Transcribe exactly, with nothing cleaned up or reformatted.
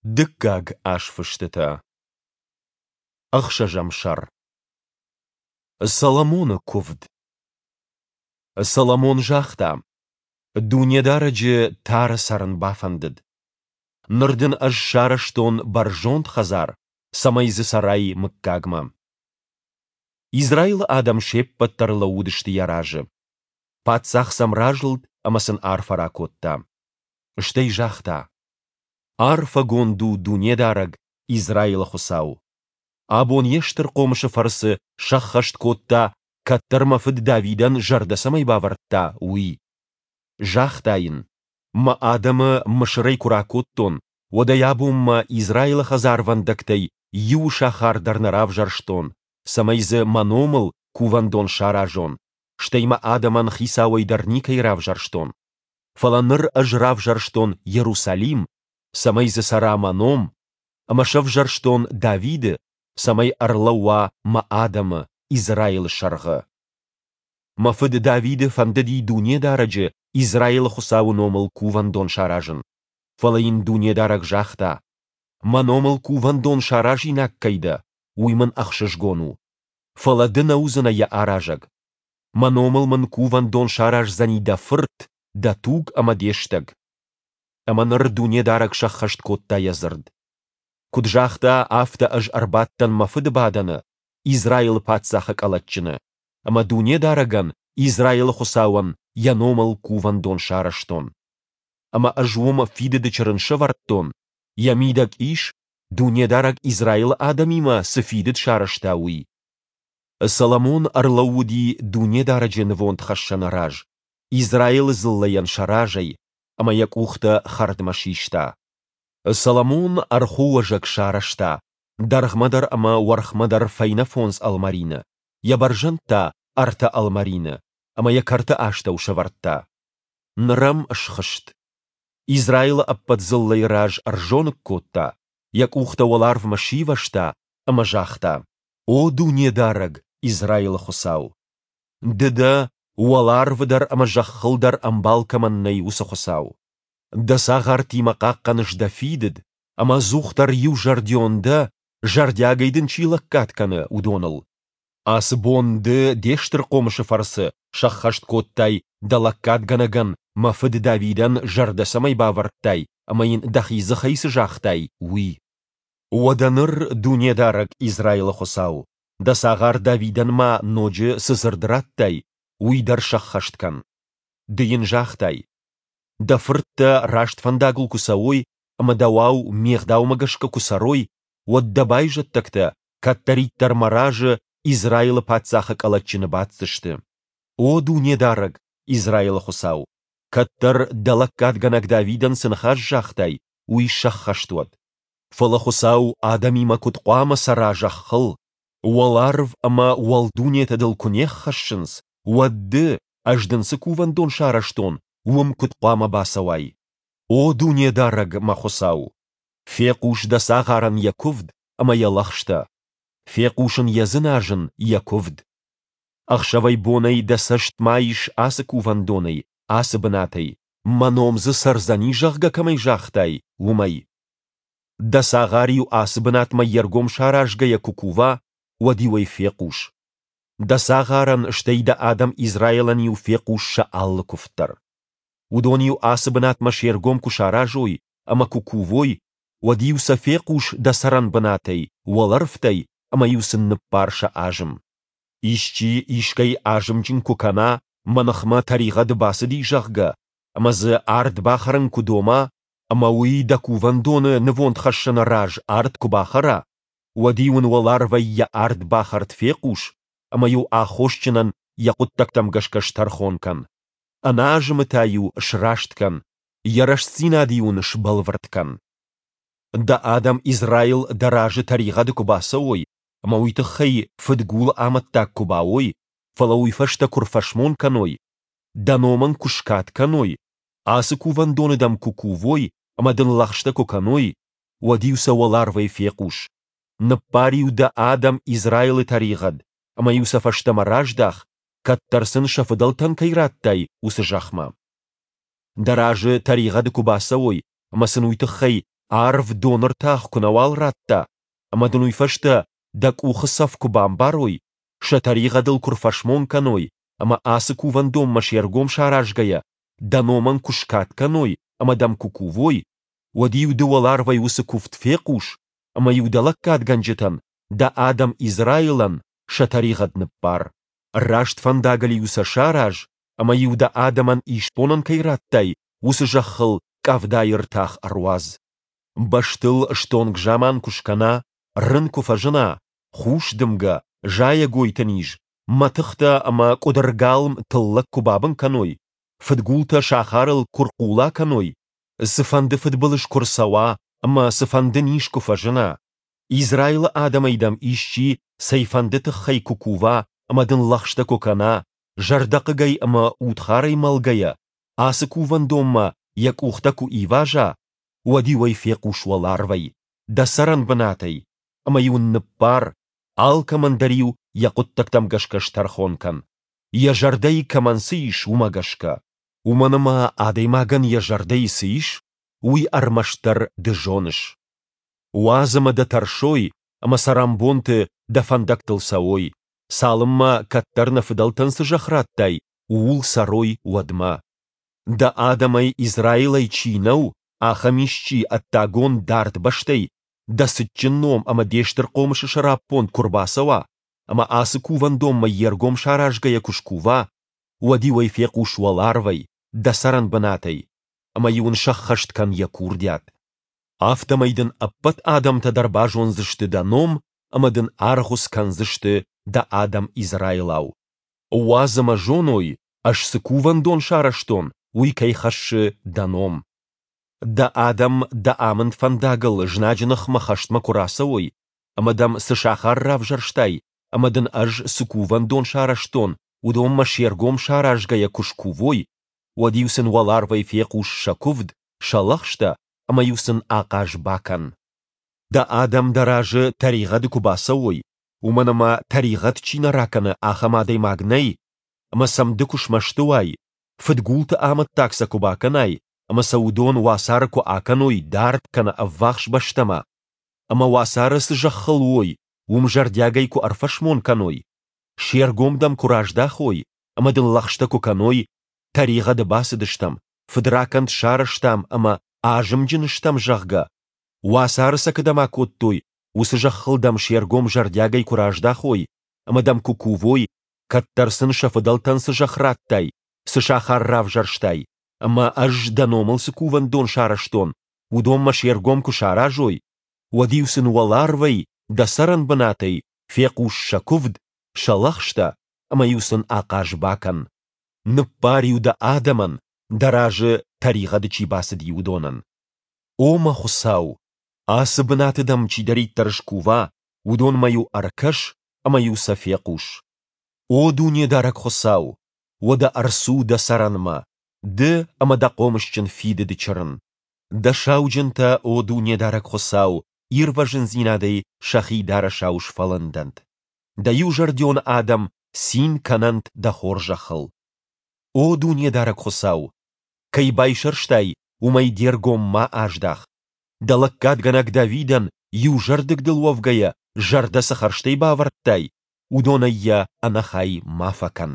Дыккаг азфыстытӕ. Ӕхсӕзӕм сӕр. Соломоны куывд. Соломон загъта: Дунедарӕджы тары цӕрын бафӕндыд. Ныр дын ӕз сарӕзтон бӕрзонд хӕдзар, цӕмӕй дзы цӕрай мыггагмӕ. Израилы адӕм се ппӕт дӕр лӕууыдысты йӕ разы. Паддзах сӕм разылд ӕмӕ сын арфӕ ракодта. Стӕй загъта: Арфӕгонд у Дунедарӕг, Израилы Хуыцау! Абон Йе стыр хъомысы фӕрцы сӕххӕст кодта, кӕддӕр мӕ фыд Давидӕн зӕрдӕ цӕмӕй бавӕрдта, уый. Загъта йын: Мӕ адӕмы Мысырӕй куы ракодтон, уӕдӕй абонмӕ Израилы хӕдзарвӕндӕгтӕй иу сахар дӕр нӕ равзӕрстон, цӕмӕй дзы мӕ номыл кувӕндон саразон, стӕй мӕ адӕмӕн хицауӕй дӕр никӕй равзӕрстон. Фӕлӕ ныр ӕз равзӕрстон Иерусалим, цӕмӕй дзы цӕра мӕ ном, ӕмӕ сӕвзӕрстон Давиды, цӕмӕй ӕрлӕууа мӕ адӕмы, Израилы сӕргъы. Мӕ фыд Давиды фӕндыди Дунедарӕджы, Израилы Хуыцауы номыл кувӕндон саразын. Фӕлӕ йын Дунедарӕг загъта: Мӕ номыл кувӕндон саразинаг кӕй дӕ, уый мын ӕхсызгон у. Фӕлӕ ды нӕ уыдзынӕ йӕ аразӕг. Мӕ номыл мын кувӕндон сараздзӕни дӕ фырт, дӕ туг ӕмӕ де стӕг. Ӕмӕ ныр Дунедарӕг сӕххӕст кодта йӕ дзырд. Куыд загъта, афтӕ ӕз ӕрбадтӕн мӕ фыды бадӕны, Израилы паддзахы къӕлӕтджыны, ӕмӕ Дунедарӕгӕн, Израилы Хуыцауӕн, йӕ номыл кувӕндон сарӕзтон. Ӕмӕ ӕз уым фидыды чырын сӕвӕрдтон, йӕ мидӕг ис, Дунедарӕг Израилы адӕмимӕ цы фидыд сарӕзта, уый. Соломон ӕрлӕууыди Дунедарӕджы нывондхӕссӕны раз, Израилы дзыллӕйӕн сӕ разӕй, ӕмӕ йӕ къухтӕ хӕрдмӕ систа. Соломон ӕрхуы уӕзӕг сарӕзта, дӕргъмӕ дӕр ӕмӕ уӕрхмӕ дӕр фӕйнӕ фондз ӕлмӕрины, йӕ бӕрзӕнд та ӕртӕ ӕлмӕрины, ӕмӕ йӕ кӕрты астӕу сӕвӕрдта. Ныр ӕм схызт. Израилы ӕппӕт дзыллӕйы раз ӕрзоныг кодта, йӕ къухтӕ уӕларвмӕ сивӕзта ӕмӕ загъта: О Дунедарӕг, Израилы Хуыцау! Ды дӕ, уӕларвы дӕр ӕмӕ зӕххыл дӕр ӕмбал кӕмӕн нӕй, уыцы Хуыцау. Дӕ цагъартимӕ хъахъхъӕныс дӕ фидыд, ӕмӕ ӕдзухдӕр иузӕрдион дӕ, зӕрдиагӕй дын чи лӕггад кӕны, уыдоныл. Ацы бон ды де стыр хъомысы фӕрцы сӕххӕст кодтай дӕ лӕггадгӕнӕгӕн, мӕ фыд Давидӕн, зӕрдӕ цӕмӕй бавӕрдтай ӕмӕ йын дӕхи дзыхӕй цы загътай, уый. Уӕдӕ ныр, Дунедарӕг, Израилы Хуыцау, дӕ цагъар Давидӕн ма ноджы цы дзырд радтай, уый дӕр сӕххӕст кӕн. Ды йын загътай: Дӕ фырттӕ раст фӕндагыл куы цӕуой ӕмӕ дӕуау ме гъдаумӕ гӕсгӕ куы цӕрой, уӕд дӕ байзӕддӕгтӕ кӕддӕриддӕр мӕ разы Израилы паддзахы къӕлӕтджыны баддзысты. О Дунедарӕг, Израилы Хуыцау, кӕддӕр дӕ лӕггадгӕнӕг Давидӕн цы ныхас загътай, уый сӕххӕст уӕд. Фӕлӕ Хуыцау адӕмимӕ куыд хъуамӕ цӕра зӕххыл? Уӕларв ӕмӕ уӕлдунетӕ дыл куы не ххӕссынц, уӕд ды, ӕз дын цы кувӕндон сарӕзтон, уым куыд хъуамӕ бацӕуай? О Дунедарӕг, мӕ Хуыцау! Фехъус дӕ цагъарӕн йӕ куывд ӕмӕ йӕ лӕгъстӕ. Фехъус ын йӕ дзыназын, йӕ куывд. Ӕхсӕвӕй-бонӕй дӕ цӕст ма ис ацы кувӕндонӕй, ацы бынатӕй, мӕ ном дзы цӕрдзӕни, зӕгъгӕ, кӕмӕй загътай, уымӕй. Дӕ цагъар-иу ацы бынатмӕ йе ргом саразгӕйӕ куы кува, уӕд-иу ӕй фехъус. Дӕ цагъарӕн, стӕй дӕ адӕм Израилӕн-иу фехъус сӕ алы куывд дӕр. Уыдон-иу ацы бынатмӕ се ргом куы саразой ӕмӕ куы кувой, уӕд-иу сӕ фехъус дӕ цӕрӕнбынатӕй, уӕлӕрвтӕй, ӕмӕ-иу сын ныббар сӕ азым. Исчи искӕй азымджын куы кӕна, мӕ ныхмӕ тӕригъӕды бацыди, зӕгъгӕ, ӕмӕ дзы ард бахӕрын куы дома, ӕмӕ уый дӕ кувӕндоны нывондхӕссӕны раз ард куы бахӕра, уӕд-иу ын уӕларвӕй йӕ ардбахӕрд фехъус ӕмӕ-иу аххосджынӕн йӕ хъуыддӕгтӕм гӕсгӕ стӕрхон кӕн. Ӕнӕазымы та-иу сраст кӕн, йӕ рӕстдзинад-иу ын сбӕлвырд кӕн. Дӕ адӕм Израил дӕ разы тӕригъӕды куы бацӕуой ӕмӕ уый тыххӕй фыдгулы амӕттаг куы бауой, фӕлӕ уый фӕстӕ куы рфӕсмон кӕной, дӕ номӕн куы скад кӕной, ацы кувӕндоны дӕм куы кувой ӕмӕ дын лӕгъстӕ куы кӕной, уӕд-иу сӕ уӕларвӕй фехъус. Ныббар-иу дӕ адӕм Израилы тӕригъӕд ӕмӕ-иу сӕ фӕстӕмӕ раздах, кӕддӕр сын сӕ фыдӕлтӕн кӕй радтай, уыцы зӕхмӕ. Дӕ разы тӕригъӕды куы бацӕуой ӕмӕ сын уый тыххӕй арв доны ртах куы нӕуал ратта, ӕмӕ дын уый фӕстӕ дӕ къухы цӕф куы бамбарой, сӕ тӕригъӕдыл куы рфӕсмон кӕной ӕмӕ ацы кувӕндонмӕ се ргом саразгӕйӕ дӕ номӕн куы скад кӕной ӕмӕ дӕм куы кувой, уӕд-иу ды уӕларвӕй уыцы куывд фехъус ӕмӕ-иу дӕ лӕггадгӕнджытӕн, дӕ адӕм Израилӕн, сӕ тӕригъӕд ныббар. Раст фӕндагыл-иу сӕ сараз ӕмӕ-иу дӕ адӕмӕн исбонӕн кӕй радтай, уыцы зӕххыл къӕвдайы ртах ӕруадз. Бӕстыл стонг заман куы скӕна, рын куы фӕзына, хус дымгӕ, зайӕгойты низ, мӕтыхтӕ ӕмӕ къуыдыргалм тыллӕг куы бабын кӕной, фыдгултӕ сахарыл куы рхъула кӕной, цыфӕнды фыдбылыз куы рцӕуа ӕмӕ цыфӕнды низ куы фӕзына, Израилы адӕмӕй дӕм исчи цӕйфӕнды тыххӕй куы кува ӕмӕ дын лӕгъстӕ куы кӕна, зӕрдӕхъыгӕй ӕмӕ удхарӕй мӕлгӕйӕ, ацы кувӕндонмӕ йӕ къухтӕ куы иваза, уӕд-иу ӕй фехъус уӕларвӕй, дӕ цӕрӕнбынатӕй, ӕмӕ-иу ын ныббар, алкӕмӕн дӕр-иу йӕ хъуыддӕгтӕм гӕсгӕ стӕрхон кӕн, йӕ зӕрдӕйы кӕмӕн цы ис, уымӕ гӕсгӕ. Уымӕн ӕмӕ адӕймагӕн йӕ зӕрдӕйы цы ис, уый ӕрмӕстдӕр ды зоныс. Уадз ӕмӕ дӕ тӕрсой ӕмӕ цӕрӕнбонты дӕ фӕндӕгтыл цӕуой, цалынмӕ, кӕддӕр нӕ фыдӕлтӕн цы зӕхх радтай, ууыл цӕрой, уӕдмӕ. Дӕ адӕмӕй Израилӕй чи нӕу, ахӕм исчи ӕддагон дард бӕстӕй дӕ цытджын ном ӕмӕ де стыр хъомысы сӕраппонд куы рбацӕуа ӕмӕ ацы кувӕндонмӕ йе ргом саразгӕйӕ куы скува, уӕд-иу ӕй фехъус уӕларвӕй, дӕ цӕрӕнбынатӕй, ӕмӕ-иу ын сӕххӕст кӕн йӕ курдиат. Афтӕмӕй дын ӕппӕт адӕмтӕ дӕр базондзысты дӕ ном ӕмӕ дын аргъуыц кӕндзысты дӕ адӕм Израилау. Уадз ӕмӕ зоной, ӕз цы кувӕндон сарӕзтон, уый кӕй хӕссы дӕ ном. Дӕ адӕм дӕ амынд фӕндагыл знаджы ныхмӕ хӕстмӕ куы рацӕуой, ӕмӕ дӕм цы сахар равзӕрстай ӕмӕ дын ӕз цы кувӕндон сарӕзтон, уыдонмӕ се ргом саразгӕйӕ куы скувой, уӕд-иу сын уӕларвӕй фехъус сӕ куывд, сӕ лӕгъстӕ ӕмӕ-иу сын ахъаз бакӕн. Дӕ адӕм дӕ разы тӕригъӕды куы бацӕуой, уымӕн ӕмӕ тӕригъӕд чи нӕ ракӕны, ахӕм адӕймаг нӕй, ӕмӕ сӕм ды куы смӕсты уай, фыдгулты амӕттаг сӕ куы бакӕнай ӕмӕ сӕ уыдон уацары куы акӕной дард кӕнӕ ӕввахс бӕстӕмӕ, ӕмӕ уацары цы зӕххыл уой, уым зӕрдиагӕй куы ӕрфӕсмон кӕной, се ргом дӕм куы раздахой ӕмӕ дын лӕгъстӕ куы кӕной, тӕригъӕды бацыдыстӕм, фыдракӕнд сарӕзтам ӕмӕ азымджын стӕм, зӕгъгӕ, уацары сӕ кӕдӕм акодтой, уыцы зӕххыл дӕм се ргом зӕрдиагӕй куы раздахой ӕмӕ дӕм куы кувой, кӕддӕр сын сӕ фыдӕлтӕн цы зӕхх радтай, цы сахар равзӕрстай ӕмӕ ӕз дӕ номыл цы кувӕндон сарӕзтон, уыдонмӕ се ргом куы саразой, уӕд-иу сын уӕларвӕй, дӕ цӕрӕнбынатӕй, фехъус сӕ куывд, сӕ лӕгъстӕ ӕмӕ-иу сын ахъаз бакӕн. Ныббар-иу дӕ адӕмӕн, дӕ разы тӕригъӕды чи бацыди, уыдонӕн. О мӕ Хуыцау, ацы бынаты дӕм чидӕриддӕр скува, уыдонмӕ-иу ӕркӕс ӕмӕ-иу сӕ фехъус. О Дунедарӕг Хуыцау, уӕдӕ ӕрцу дӕ цӕрӕнмӕ, ды ӕмӕ дӕ хъомысджын фидыды чырын. Дӕ сауджынтӕ, о Дунедарӕг Хуыцау, ирвӕзындзинадӕй сӕхи дарӕсау сфӕлындӕнт. Дӕ иузӕрдион адӕм цин кӕнӕнт дӕ хорзӕхыл. О Дунедарӕг Хуыцау, кӕй байсӕрстай, уымӕй де ргом ма аздах. Дӕ лӕггадгӕнӕг Давидӕн, иузӕрдыг дыл уӕвгӕйӕ, зӕрдӕ цы хӕрзтӕй бавӕрдтай, уыдонӕй йӕ ӕнӕхай ма фӕкӕн.